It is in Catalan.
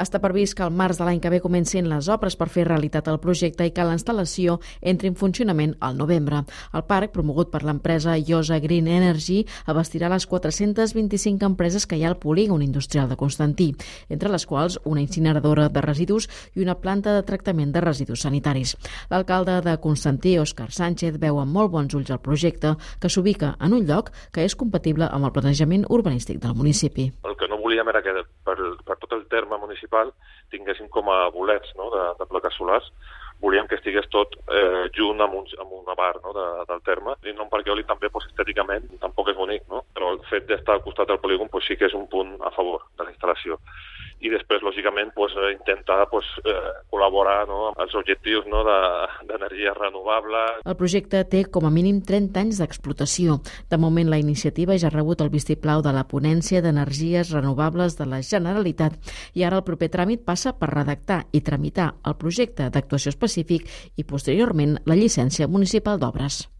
Està previst que al març de l'any que ve comencin les obres per fer realitat el projecte i que la instal·lació entri en funcionament al novembre. El parc, promogut per l'empresa Iosa Green Energy, abastirà les 425 empreses que hi ha al polígon industrial de Constantí, entre les quals una incineradora de residus i una planta de tractament de residus sanitaris. L'alcalde de Constantí, Òscar Sánchez, veu amb molt bons ulls el projecte, que s'ubica en un lloc que és compatible amb el planejament urbanístic del municipi. El que no volíem era que per tot el terme municipal tinguéssim com a bolets, no, de plaques solars. Volíem que estigués tot junt amb una bar, no, del terme. I no perquè eòlic també estèticament tampoc és bonic, no? Però el fet d'estar al costat del polígon sí que és un punt a favor de la instal·lació. I després, lògicament, intentar col·laborar, no, amb els objectius, no, d'energia renovable. El projecte té com a mínim 30 anys d'explotació. De moment, la iniciativa ja ha rebut el vistiplau de la Ponència d'Energies Renovables de la Generalitat i ara el proper tràmit passa per redactar i tramitar el projecte d'actuació específic i, posteriorment, la llicència municipal d'obres.